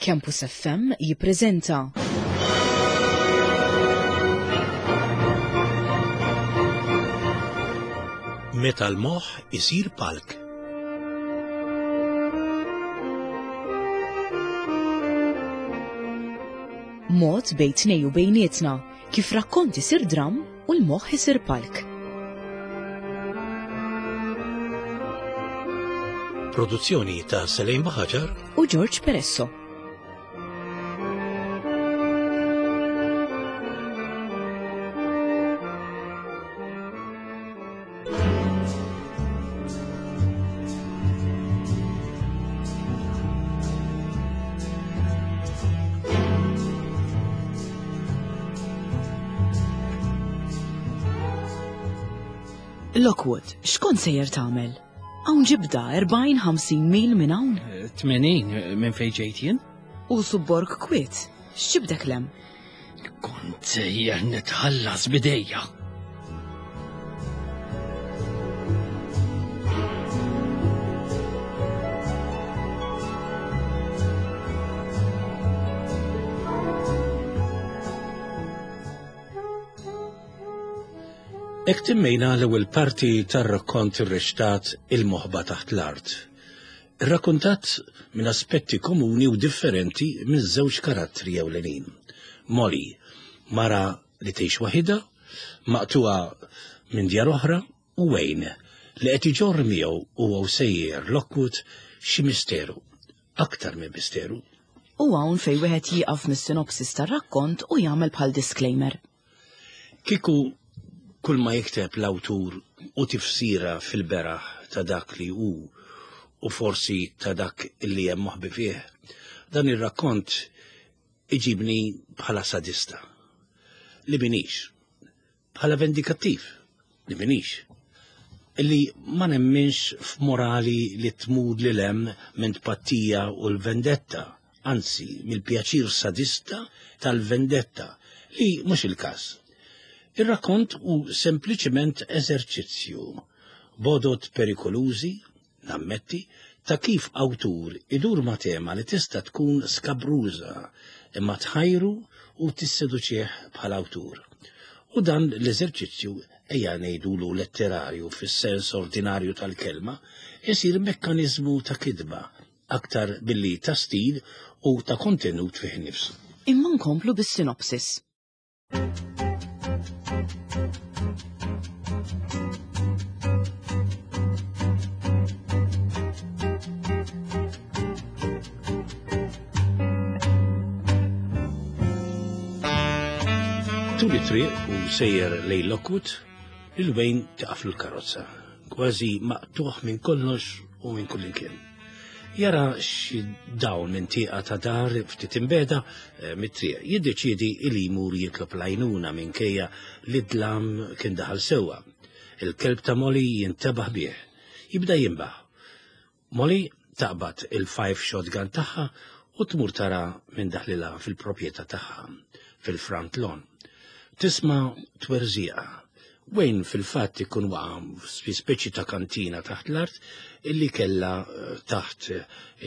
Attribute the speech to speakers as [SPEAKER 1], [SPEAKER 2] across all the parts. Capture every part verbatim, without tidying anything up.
[SPEAKER 1] Campus F M jippreżenta
[SPEAKER 2] Meta l-moħħ isir palk.
[SPEAKER 1] Mod bejn tnej u bejnietna kif rakkont isir dram u l-moħħ isir palk.
[SPEAKER 2] Produzzjoni ta' Selene Buhagiar
[SPEAKER 1] u George Peresso. Lockwood, x'kont sejjer tagħmel? Hawn ġibda erbgħin ħamsin mil minn hawn?
[SPEAKER 3] Tmenin minn fejn ġejt jien.
[SPEAKER 1] U subborg kwiet, x'ġibdek lem?
[SPEAKER 3] Kont sejjer nitħallas bidejja.
[SPEAKER 2] Hekk timmejna l-ewwel parti tar-rakkont irreċtat Il-Moħba Taħt l-Art. Irrakkontat minn aspetti komuni u differenti minn żewġ karattri ewlenin. Molly, mara li tgħix waħidha, maqtuha minn djar oħra, u Wayne, li qed iġorr miegħu huwa sejjer Lockwood xi misteru, aktar minn misteru.
[SPEAKER 1] U hawn fejn wieħed jieqaf mis-sinopsis tar-rakkont u jagħmel bħal disclaimer.
[SPEAKER 2] Kieku kull ma jikteb l-awtur u tifsira fil-beraħ ta' dak li hu u forsi ta' dak li hemm moħbi fih, dan ir-rakkont iġibni bħala sadista, li minix, bħala vendikattiv, li minix, li ma nemminx f'morali li tmur lil hemm minn tpattija u l-vendetta, anzi mill-pjaċir sadista tal-vendetta, li mhux il-każ. Ir-rakkont hu sempliċement eżerċizzju, bodot perikolużi, nammetti, ta' kif awtur idur ma' tema li tista' tkun skabruża imma tħajru u tisseduċih bħala awtur. U dan l-eżerċizzju, ejja ngħidulu letterarju fis-sens ordinarju tal-kelma, isir mekkaniżmu ta' kitba aktar billi ta' stil u ta' kontenut fih innifsu.
[SPEAKER 1] Imma nkomplu bis-sinopsis.
[SPEAKER 2] Tul it-triq u sejjer lejn Lockwood, lil Wayne taqaflu l-karozza, kważi maqtuħ minn kollox u minn kullimkien. Jara xi dawl minn tieqa ta' dar ftit imbeda, eh, mit-triq, jiddeċiedi li jmur jitlob l-għajnuna minkejja li d-dlam kien daħal sewwa. Il-kelb ta' Molly jintebaħ bih, jibda jinbaħ. Molly taqbad il-five shotgun tagħha u tmur tara minn daħlilha fil-proprjetà tagħha, fil-front lawn. Tisma' twerżieqa. Wayne fil-fatt ikun waqa' fi speċi ta' kantina taħt l-art illi kella, eh, taħt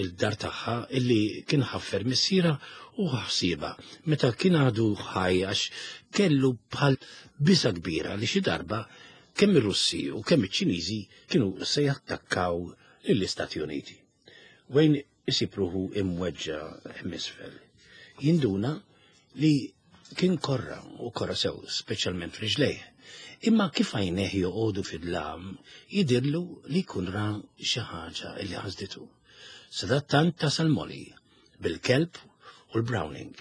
[SPEAKER 2] il-dar tagħha illi kien ħaffer missiera u ħsiebha meta kien għadu ħaj għax kellu bħal biża' kbira li xi darba kemm ir-Russi u kemm iċ-Ċiniżi kienu se jattakkaw lill-Istati Uniti. Wayne isib ruħu imweġġa' hemm isfel. Jinduna li kien korra u korra sew, speċjalment f'riġlejh. Imma kif għajnejh joqogħdu fid-dlam, jidirlu li jkun ra xi ħaġa li ħasditu. Sadattant tasal Molly bil-kelb u l-Browning.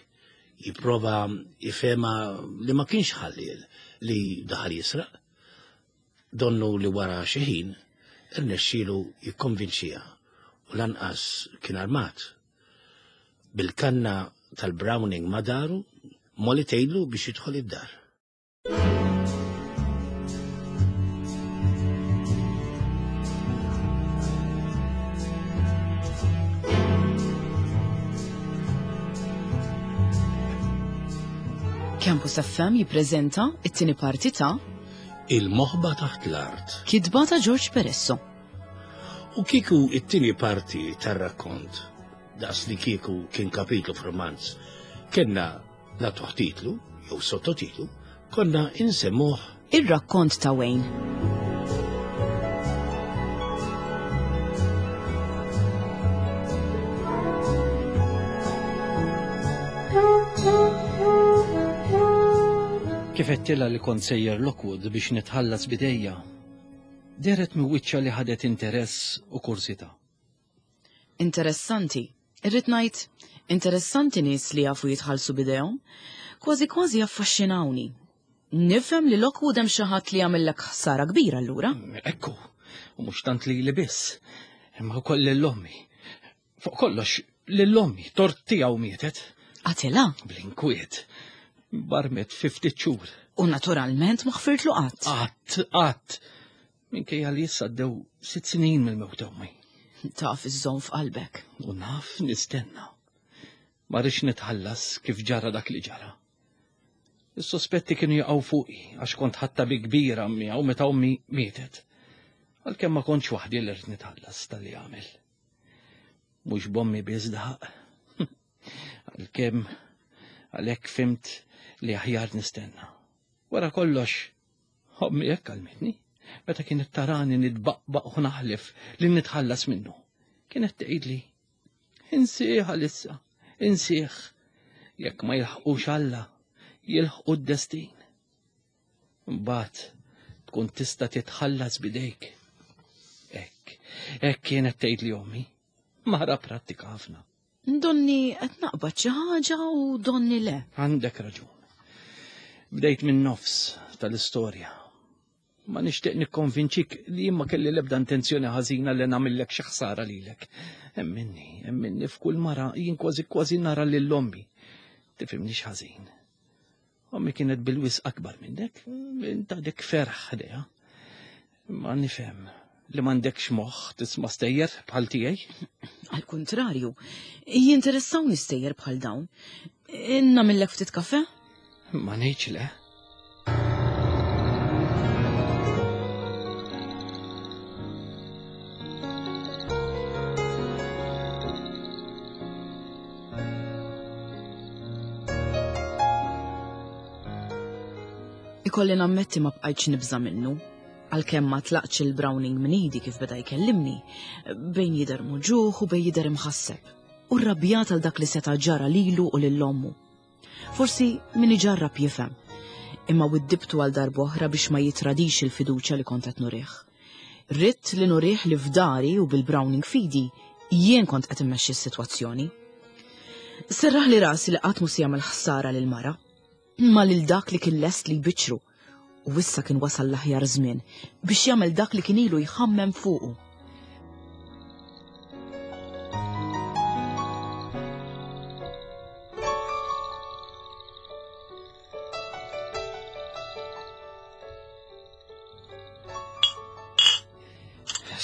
[SPEAKER 2] Jipprova jifhemha li ma kienx ħalliel li daħal jisraq. Donnu li wara xi ħin irnexxielu jikkonvinċiha u lanqas kien armat. Bil-kanna tal-Browning ma daru, Molly tgħidlu biex jidħol id-dar.
[SPEAKER 1] Campus F M jippreżenta it-tieni parti ta'
[SPEAKER 2] Il-Moħba Taħt l-Art.
[SPEAKER 1] Kitba ta' George Peresso.
[SPEAKER 2] U kieku it-tieni parti tar-rakkont daqs li kieku kien kapitlu f'romanz, kellna nagħtuh titlu jew sottotitlu, konna insemmuh
[SPEAKER 1] Ir-rakkont ta' Wayne.
[SPEAKER 3] Kif għedtilha li kont sejjer Lockwood biex nitħallas bidejja, dehret minn wiċċha li ħadet interess u kursità.
[SPEAKER 1] Interessanti. Irrid ngħid, interessanti nies li jafu jitħallsu bidejhom, kważi kważi affaxxinawni. Nifhem li Lockwood hemm xi ħadd li jagħmellek ħsara kbira allura.
[SPEAKER 3] Ekku, u mhux tant lili biss, imma wkoll lil ommi. Fuq kollox, lil ommi, tort tiegħu mietet.
[SPEAKER 1] Qatilha?
[SPEAKER 3] Bl-inkwiet. Barmet fi ftit xhur.
[SPEAKER 1] U naturalment ma ħfirtlu qatt.
[SPEAKER 3] Qatt, qatt. Minkejja li issa għaddew sitt snin mill-mewt ommi.
[SPEAKER 1] Taf iżżomm f'qalbek.
[SPEAKER 3] U naf nistenna. Ma rridx nitħallas kif ġara dak li ġara. Is-sospetti kienu jaqgħu fuqi għax kont ħadtha bi kbira miegħu meta ommi mietet. Għalkemm ma kontx waħdi li rrid nitħallas tal-li għamel. Mhux b'ommi biss daħaq. Għalkemm għalhekk fimt li aħjar nistenna. Wara kollox, ommi hekk għallmitni. Meta kienet tarani nitbaqbaq u naħlef li nitħallas minnu. Kienet tgħidli, insieħ għalissa, insieħ. Jekk ma jilħqux Alla, jilħqu d-destin. Mbagħad tkun tista' titħallas bidejk. Hekk, hekk kienet tgħidli ommi. Mara prattika ħafna.
[SPEAKER 1] Donni qed naqbad xi ħaġa u donni le.
[SPEAKER 3] Għandek raġun. Bdejt minn nofs tal-istorja. Ma nixtieq nikkonvinċik li jien ma kelli l-ebda intenzjoni ħażina li nagħmillek xi ħsara lilek. Emminni, emminni f'kull mara jien kważi kważi nara lil ommi. Tifhimnix ħażin. Ommi kienet bil-wisq akbar minnek, int għadek ferħ ħdejha. Ma nifhem li m'għandekx moħħ tisma' stejjer bħal tiegħi.
[SPEAKER 1] Għal kuntrarju, jinteressawni stejjer bħal dawn. Nagħmillek ftit kafe?
[SPEAKER 3] Ma ngħidx le.
[SPEAKER 1] Ikolli nammetti ma bqajtx nibża' minnu, għalkemm ma tlaqtx il-Browning minn idi kif beda jkellimni, bejn jidher muġugħ u bejn jidher imħasseb, u rrabjat għal dak li seta' ġara lilu u lil ommu. Forsi min iġarrab jifhem, imma widdibtu għal darb'oħra biex ma jitradix il-fiduċja li kont qed nurih. Ridt li nurih li f'dari u bil-Browning fidi jien kont qed immexxi s-sitwazzjoni. Serraħ li rasi li qatt mhu se jagħmel ħsara lil mara, imma lil dak li kien lest li jbiċċru, u issa kien wasal l-aħjar żmien biex jagħmel dak li kien ilu jħammem fuqu.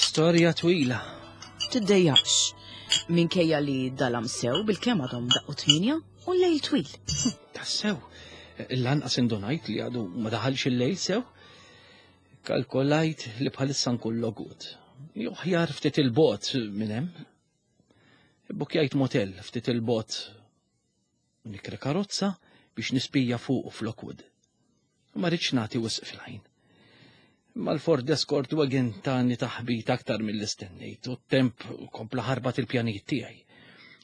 [SPEAKER 3] Storja twila.
[SPEAKER 1] Tiddejjaqx, minkejja li dalam sew bil-kemm għadhom daqqu tminja u l-lejl twil.
[SPEAKER 3] Tassew, lanqas indunajt li għadu ma daħalx il-lejl sew. Kalkolajt li bħalissa nkun Lockwood. Jew aħjar ftit il-bot minn hemm. Bukjajt motel ftit il-bot. Nikri karozza biex nispija fuq f'Lockwood. Ma rridx nagħti wisq fil-ħin. Ma l-Ford Escort wagon tani taħbit aktar mill-istennejt u t-temp kompla ħarbat il-pjanijiet tiegħi.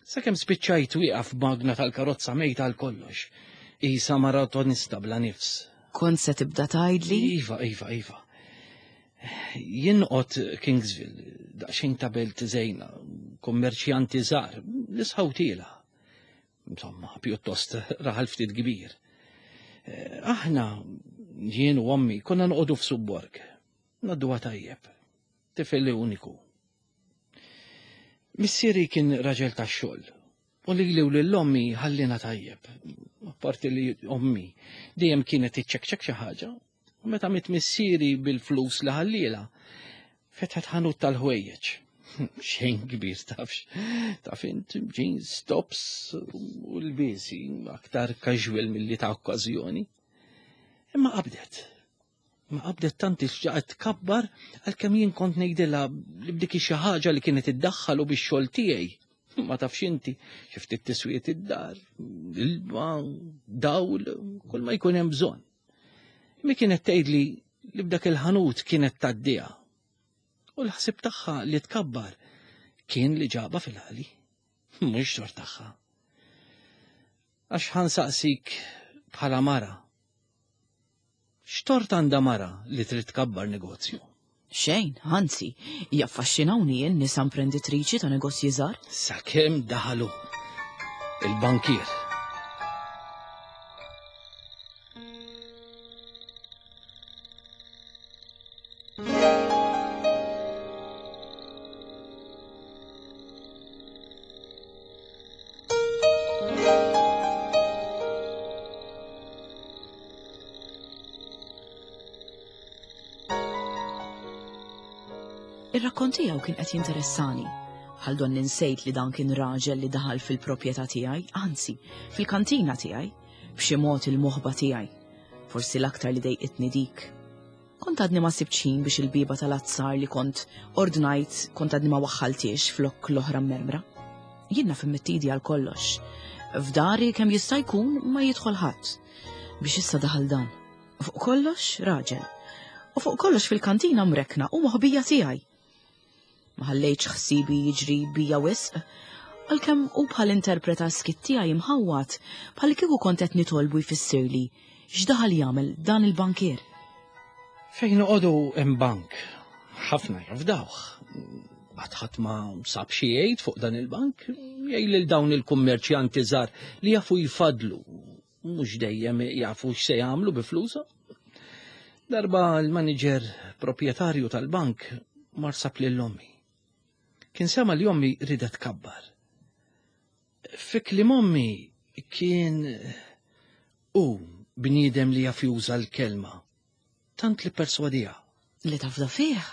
[SPEAKER 3] Sakemm spiċċajt wieqaf b'magna tal-karozza mejta għal kollox. Isa maratonista bla nifs.
[SPEAKER 1] Kont se tibda tgħidli?
[SPEAKER 3] Iva, iva, iva. Jien noqgħod Kingsville, daqsxejn ta' belt żejna, kummerċjanti żgħar, nisħaw tiela. Insomma, pjuttost raħal ftit kbir. Aħna, jien u ommi, konna noqogħdu f'subborg. Ngħadduha tajjeb. Tifel uniku. Missieri kien raġel tax-xogħol. U lili u lil ommi ħallina tajjeb. Apparti li ommi dejjem kienet iċċekċek xi ħaġa. U meta miet missieri bil-flus li ħalliela, fetħet ħanut tal-ħwejjeġ. Xejn kbir tafx. Taf int jeans, tops u l-biesi aktar casual milli ta' okkażjoni. Imma qabdet. Ma qabdet tant ixġaqet tkabbar għalkemm jien kont ngħidilha li b'dik xi ħaġa li kienet iddaħħal u bix-xogħol tiegħi. Ma tafx inti, xi ftit tiswiet id-dar, ilma, dawl, kull ma jkun hemm bżonn. Mi kienet tgħidli li b'dak il-ħanut kienet tgħaddiha. U l-ħsieb tagħha li tkabbar kien li ġaba fil-ħali, mhux xor tagħha. Għax ħansaqsik bħala mara. X'tort għandha mara li trid tkabbar negozju?
[SPEAKER 1] Xejn, anzi, jaffaxxinawni n-nisa imprenditriċi ta' negozji żgħar.
[SPEAKER 3] Sakemm daħalu il-bankier.
[SPEAKER 1] Ir-rakkont tiegħu kien qed jinteressani. Bħal don ninsejt li dan kien raġel li daħal fil-proprjetà tiegħi, anzi, fil-kantina tiegħi, b'xi mod il-moħba tiegħi. Forsi l-aktar li dejqitni dik. Kont għadni ma sibtx ħin biex il-bieba tal-azzar li kont ordnajt kont għadni ma waħħaltiex flok l-oħra mermra. Jien naf immittidi għal kollox. F'dari kemm jista' jkun ma jidħol ħadd. Biex issa daħal dan. Fuq kollox raġel. U fuq kollox fil-kantina mrekna u moħbija tiegħi. Ma ħallejtx ħsibi jiġri bija wisq, għalkemm hu bħal interpreta skit tiegħi imħawwat bħal kieku kont qed nitolbu jfissirli x'daħal jagħmel dan il-bankier.
[SPEAKER 3] Fejn noqogħdu hemm bank, ħafna jafdawh. Qatt ħadd ma sab xi jgħid fuq dan il-bank, jgħid lil dawn il-kummerċjanti żgħar li jafu jfadlu, mhux dejjem jafu x'se jagħmlu bi flushom. Darba l-manager proprjetarju tal-bank mar sab lil ommi. Kien sema li ommi ridet tkabbar. Fi kliem ommi kien hu bniedem li jaf juża l-kelma, tant li perswadija.
[SPEAKER 1] Li tafda fih,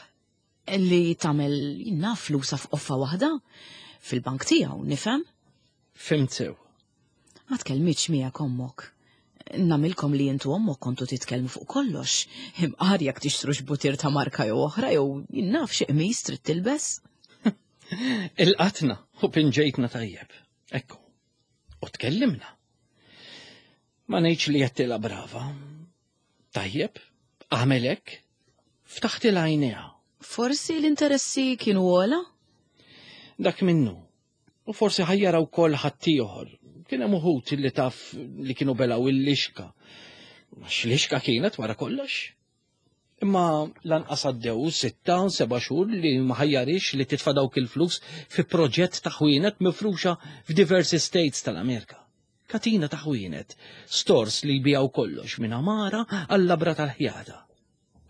[SPEAKER 1] li tagħmel naf flusa f'qoffa waħda fil-bank tiegħu, nifhem?
[SPEAKER 3] Fimt sew.
[SPEAKER 1] Ma tkellmitx miegħek ommok. Namilkom li intu ommok kontu titkellmu fuq kollox. Imqar jekk tixtrux butir ta' marka jew oħra jew naf xi qmis trid tilbes.
[SPEAKER 3] Il-qatna u pinġejtna tajjeb. Ekku. U tkellimna. Ma ngħidx li għedtilha brava. Tajjeb, għamel hekk, ftaħtilha għajnejha.
[SPEAKER 1] Forsi l-interessi kienu ogħla?
[SPEAKER 3] Dak minnu. U forsi ħajjara wkoll ħaddieħor. Kien hemm uħud li taf li kienu belaw il-lixka. Għax lixka kienet wara kollox. Imma lanqas għaddew sitta, seba' xhur li ma ħajjarix li titfa' dawk il-flus fi proġett ta' ħwienet mifruxa f'diversi states tal-Amerika. Katina ta' ħwienet, stores li jbijaw kollox minn amara għall-labra tal-ħjata.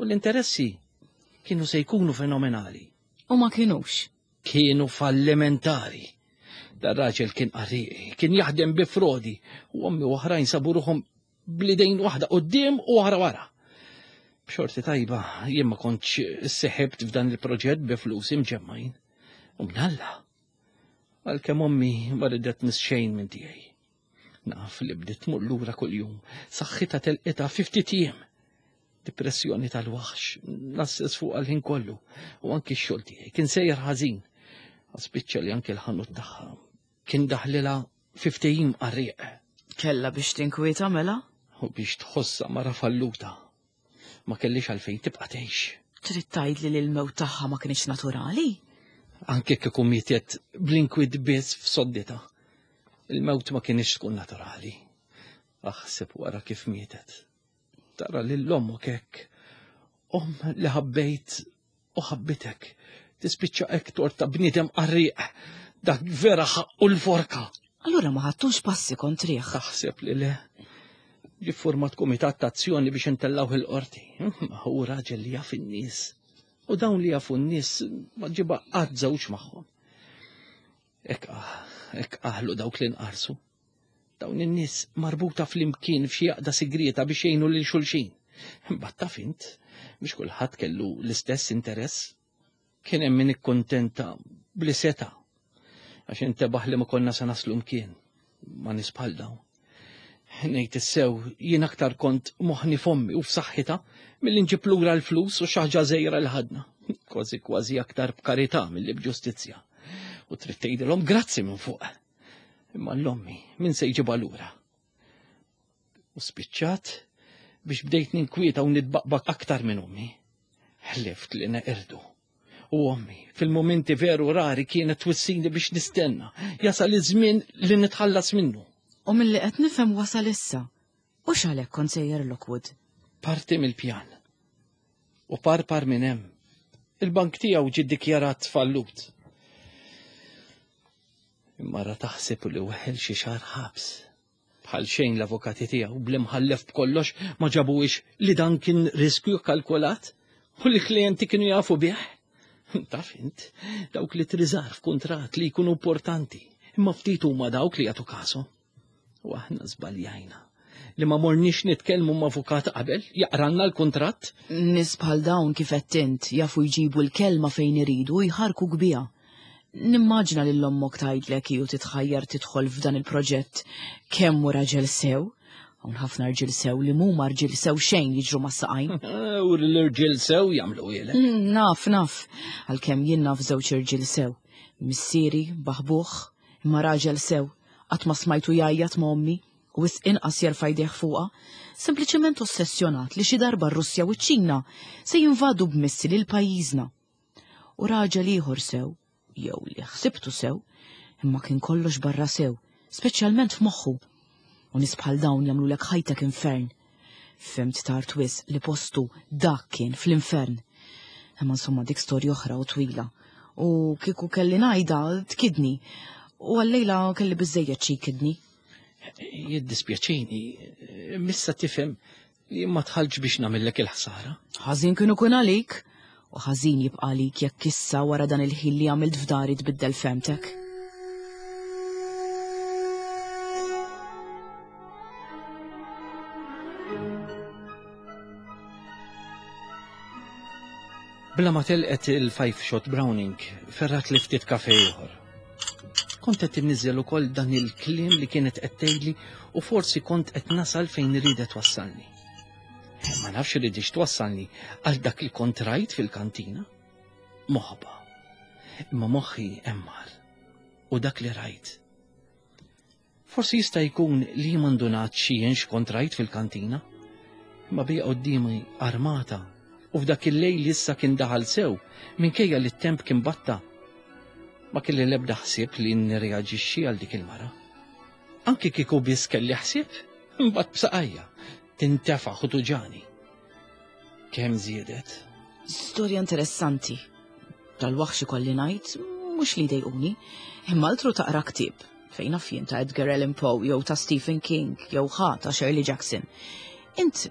[SPEAKER 3] U l-interessi kienu se jkunu fenomenali.
[SPEAKER 1] U ma kienux.
[SPEAKER 3] Kienu fallimentari. Dar raġel kien qarriqi, kien jaħdem bi frodi, u ommi u oħrajn sabu ruħhom blidejn waħda quddiem u oħra wara. B'xorti tajba, jien ma kontx seħibt f'dan il-proġett bi flus imġemmajn. U mnalla. Għalkemm ommi ma ridet nis xejn minn tiegħi. Naf li bdiet tmur lura kuljum, saħħitha telqitha fi ftit jiem. Depressjoni tal-waħx, nasses fuq għal-ħin kollu, u anki x-xogħol tiegħi kien sejjer ħażin. Spiċċa li anki l-ħanut tagħha kien daħlilha fi ftehim qarrieq.
[SPEAKER 1] Kella biex tinkwieta mela?
[SPEAKER 3] U biex tħossha mara falluta. Ma kellix għalfejn tibqa' tgħix.
[SPEAKER 1] Trid tgħidli li l-mewt tagħha ma kienx naturali?
[SPEAKER 3] Anke kieku mietet bl-inkwiet biss f'sodditha. Il-mewt ma kienx tkun naturali. Aħseb wara kif mietet. Tara lil ommok hekk. Omm li ħabbejt u ħabbitek. Tispiċċa hekk torta bniedem qarrieq. Dak vera ħaqqu l-forka.
[SPEAKER 1] Allura ma ħadtux passi kontrih.
[SPEAKER 3] Taħseb li le. Ġie format kumitat ta' azzjoni biex intellawh il-qorti. Ma hu raġel li jaf in-nies. U dawn li jafu n-nies ma ġiba qatt żewġ magħhom. Hekk hekk aħlu dawk li nqarsu. Dawn in-nies marbuta flimkien f'xi għaqda sigrieta biex jgħinu lil xulxin. Imbagħad taf int biex kulħadd kellu l-istess interess. Kien hemm min ikkuntenta bli seta' għax intebaħ li ma konna se naslu mkien ma' nies bħal dawn. Ngħid issew jien aktar kont moħħni f'ommi u f'saħħitha milli nġib lura l-flus u xi ħaġa żgħira li ħadna. Kważi kważi aktar b'karità milli b'ġustizzja. U trid tgħidilhom grazzi minn fuq. Imma l-ommi min se jġibha lura. U spiċċat biex bdejt ninkwieta u nitbaqbaq aktar minn ommi. Ħlift li neqirdu. U ommi, fil-momenti veru rari kienet twissini biex nistenna. Jasal iż-żmien li nitħallas minnu.
[SPEAKER 1] U milli qed nifhem wasal issa. U x'għalhekk kont sejjer Lockwood?
[SPEAKER 3] Parti mill-pjan. U parpar minn hemm. Il-bank tiegħu ġie ddikjarat fallut. Imma ra taħseb li weħel xi xahar ħabs. Bħal xejn l-avukati tiegħu bl-imħallef b'kollox ma ġabuhiex li dan kien riskju kalkulat u li klijenti kienu jafu bih. Taf int, dawk li triżar f'kuntratt li jkunu importanti, imma ftit huma dawk li jagħtu kasu. U aħna żbaljajna li ma morniex nitkellmu ma' avukat qabel jaqranna l-kuntratt.
[SPEAKER 1] Nies bħal dawn kif qed int jafu jġibu l-kelma fejn iridu u jħarku kbija. Nimmaġina lil ommok tgħidlek hi u titħajjar tidħol f'dan il-proġett kemm hu raġel sew. Hawn ħafna rġiel sew li mhuma rġiel sew xejn jiġru mas-saqajn.
[SPEAKER 3] U l-irġiel sew jagħmlu ilek.
[SPEAKER 1] Naf, naf, għalkemm jien naf żewġ irġiel sew. Missieri, baħbuh, imma raġel sew, qatt ma smajtu jgħajjat ma' ommi u wisq inqas jerfa' jdejh fuqha, sempliċement ossessjonat li xi darba r-Russja u ċ-Ċina se jinvadu b'missili lil pajjiżna. U raġel ieħor sew, jew li ħsibtu sew, imma kien kollox barra sew, speċjalment f'moħħu. U nies bħal dawn jagħmlulek ħajtek infern. Fhimt tard wisq li postu dak kien fl-infern. Imma insomma dik storja oħra u twila. U kieku kelli ngħidha tkidni. U għallejla kelli biżejjed xi jkidni.
[SPEAKER 3] Jiddispjaċini, missa tifhem li ma tħallx biex nagħmellek il-ħsara.
[SPEAKER 1] Ħażin kienu kun għalik, u ħażin jibqa' għalik jekk issa wara dan il-ħin li għamilt f'dari tbiddel femtek.
[SPEAKER 3] Bla ma telqet il-five shot Browning, ferrat li ftit kafe ieħor. Kont qed inniżel ukoll dan il-kliem li kienet qed tgħidli u forsi kont qed nasal fejn ridet twassalni. Ma nafx ridix twassalni għal dak li kont rajt fil-kantina. Moħba. Imma moħħi emmar. U dak li rajt. Forsi jista' jkun li m'għandunat xi x'kont rajt fil-kantina. Imma bija quddiemi armata u f'dak il-lejl issa kien daħal sew minkejja li t-temp kien batta. Ma kelli l-ebda ħsieb li nirreaġixxi għal dik il-mara. Anki kieku biss kelli ħsieb, imbagħad b'saqajja tintefaħ u tuġani. Kemm żiedet?
[SPEAKER 1] Storja interessanti. Dal-waħx ikolli ngħid, mhux li jdejquni, imma altru taqra ktieb fejn naf jien ta' Edgar Allan Poe jew ta' Stephen King jew ħa ta' Shirley Jackson. Int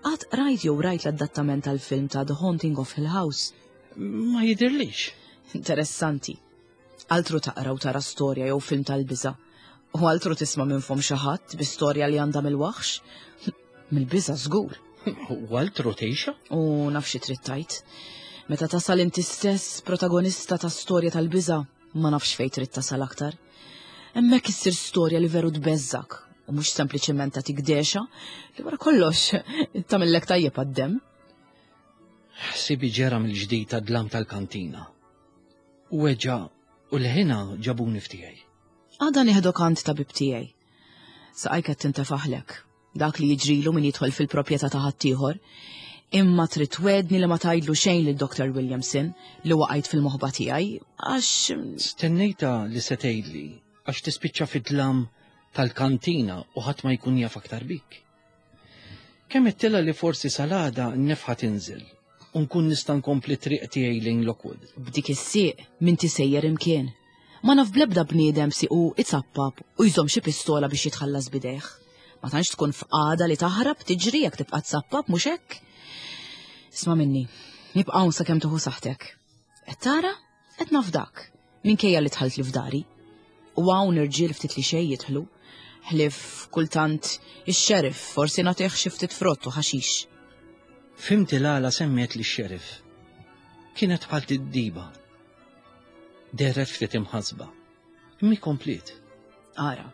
[SPEAKER 1] qatt rajt jew rajt l-adattament tal-film ta' The Haunting of Hill House?
[SPEAKER 3] Ma jidirlix.
[SPEAKER 1] Interessanti. Altru taqra u tara storja jew film tal-biża'. U altru tisma' minn fom xi ħadd bi storja li għandha mill-waħx. Mill-biża' żgur.
[SPEAKER 3] U altru tgħixha?
[SPEAKER 1] U naf xi trid tgħid. Meta tasal inti stess protagonista ta' storja tal-biża', ma nafx fejn trid tasal aktar. Hemmhekk issir storja li veru tbeżżak u mhux sempliċement tagħtik dexa li wara kollox tagħmellek tajjeb għad-demm.
[SPEAKER 3] Ħsibi ġera mill-ġdid tad-dlam tal-kantina. U weġa' u l-ħina ġabuni f'tiegħi.
[SPEAKER 1] Għada nieħdok għand tabib tiegħi. Saqajk qed tintefaħlek. Dak li jiġrilu min jidħol fil-proprjetà ta' ħaddieħor. Imma trid twedni li ma tgħidlu xejn lil Doctor Williamson li waqajt fil-moħba tiegħi għax
[SPEAKER 3] Stennejta li se tgħidli għax tispiċċa fid-dlam tal-kantina u ħadd ma jkun jaf aktar bik. Kemm ittilha li forsi salada n-nefħa tinżel u nkun nista' nkompli triq tiegħi lejn Lockwood.
[SPEAKER 1] B'dik is-sieq min tisejjer imkien. Ma naf bl-ebda bniedem siqu itzappap u jżomm xi pistola biex jitħallas bidejh. Ma tantx tkun f'qagħda li taħrab tiġri jekk tibqa' tzappap mhux hekk? Isma' minni, nibqa' hawn sakemm tieħu saħħtek. Qed tara? Qed nafdak, minkejja li dħalt li f'dari. U hawn irġiel ftit li xejn jidħlu, ħlief kultant ix-xeriff forsi nagħtih xi ftit frott u ħaxix.
[SPEAKER 3] Fimti l-għala semmiet li x-xeriff. Kienet bħal tiddiba. Dehret ftit imħasba. Imma komplet.
[SPEAKER 1] Ara,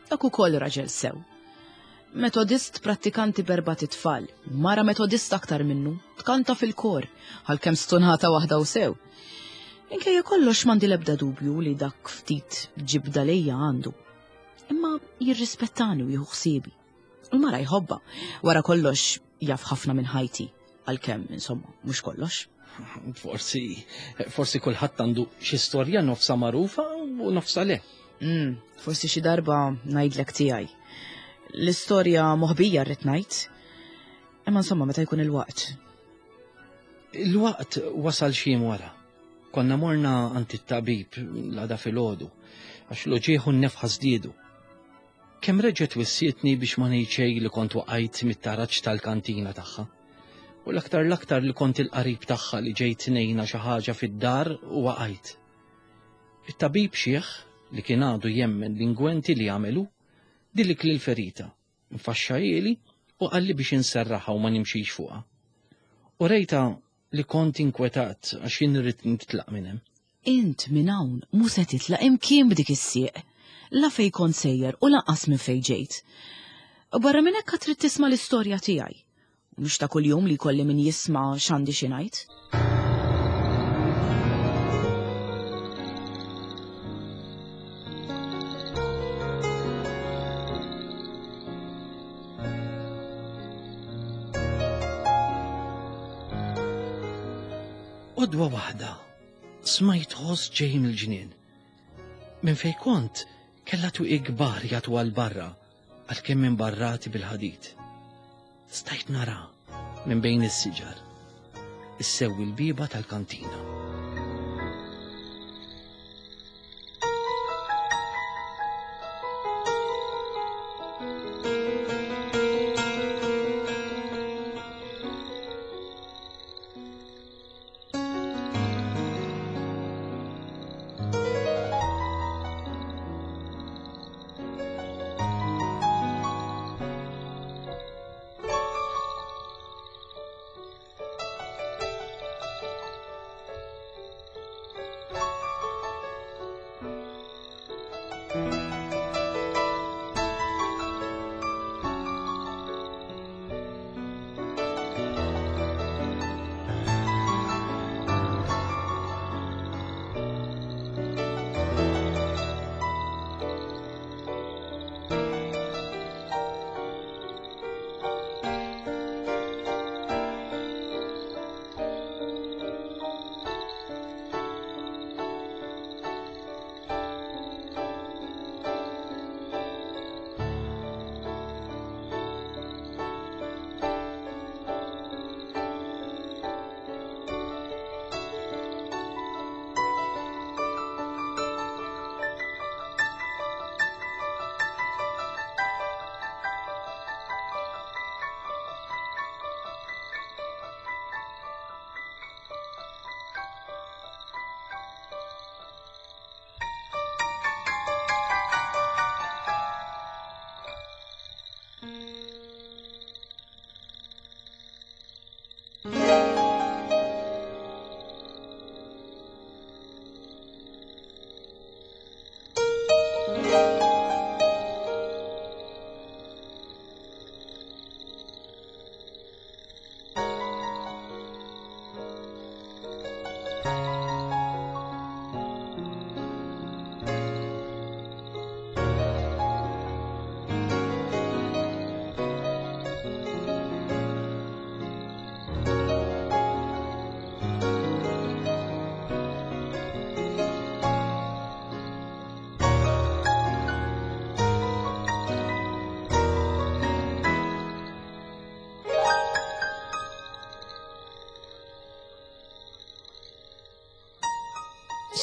[SPEAKER 1] dak ukoll raġel sew. Metodist prattikanti b'erbat itfal, mara metodist aktar minnu, tkanta fil-kor, għalkemm stunata waħda u sew. Minkejja kollox m'għandi l-ebda dubju li dak ftit ġibda lejja għandu. Imma jirrispettani u jieħu ħsiebi. U l-mara jħobbha. Wara kollox jaf ħafna minn ħajti, għalkemm insomma mhux kollox.
[SPEAKER 3] Forsi, forsi kulħadd għandu xi storja nofsa magħrufa u nofsa le.
[SPEAKER 1] Mm, forsi xi darba ngħidlek tiegħi. L-istorja moħbija rrid ngħid. Imma insomma meta jkun il-waqt.
[SPEAKER 3] Il-waqt wasal xi jiem wara. Konna morna għand it-tabib l-għada filgħodu għax l-uġigħ u n-nefħa żdiedu. Kemm reġgħet wissietni biex ma ngħid xejn li kont waqajt mit-taraġ tal-kantina tagħha. U l-aktar l-aktar li kont il-qarib tagħha li ġejt ngħinha xi ħaġa fid-dar u waqajt. It-tabib xiħ li kien għadu jemmen l-ingwenti li għamelu dilik lil ferita, nfaxxahieli u qalli biex inserraħha u ma nimxix fuqha. U rejta li kont inkwetat għax jien irrid nitlaq minn hemm.
[SPEAKER 1] Int minn hawn mhu se titlaq imkien b'dik is-sieq. La fej kont sejjer u lanqas minn fej ġejt. U barra minn hekk trid tisma' l-istorja tiegħi. U mhux ta' kuljum li jkolli min jisma' x'għandi xi ngħid.
[SPEAKER 3] Għodwa waħda, smajt ħoss ġej mill-ġnien. Minn fej kont, kella twieqi kbar jagħtu għal barra, għalkemm imbarrati bil-ħadid. Stajt nara minn bejn is-siġar, issewwi l-bieba tal-kantina.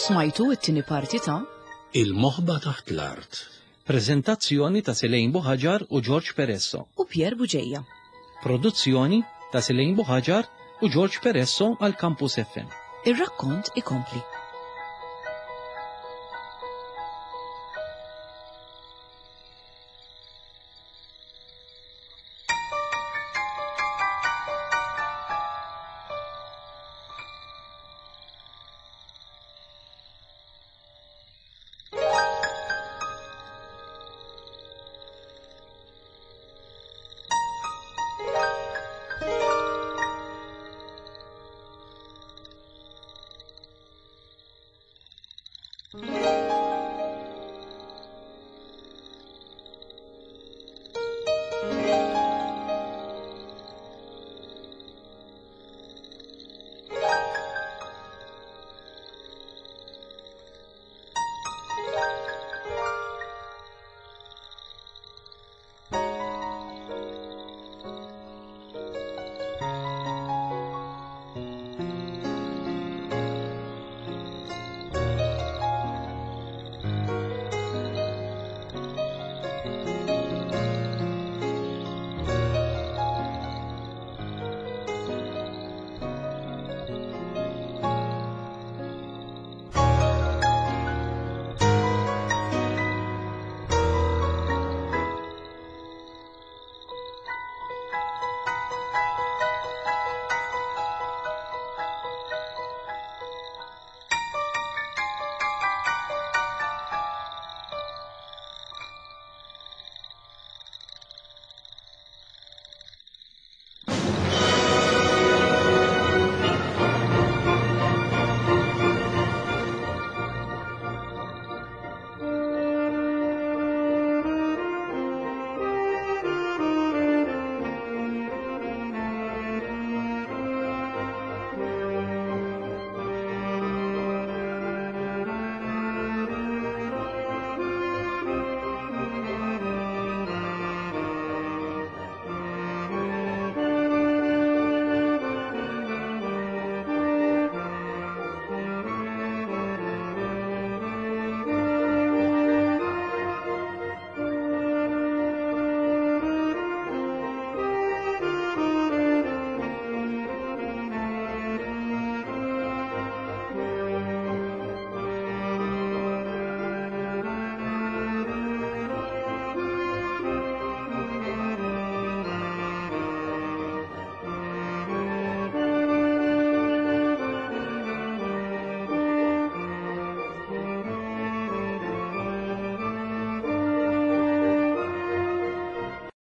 [SPEAKER 1] Smajtu it-tieni parti ta'
[SPEAKER 2] Il-moħba taħt l-art.
[SPEAKER 3] Prezentazzjoni ta' Selene Buhagiar u George Peresso.
[SPEAKER 1] u Pierre Bugeja.
[SPEAKER 3] Produzzjoni ta' Selene Buhagiar u George Peresso għal Campus F M.
[SPEAKER 1] Ir-rakkont ikompli.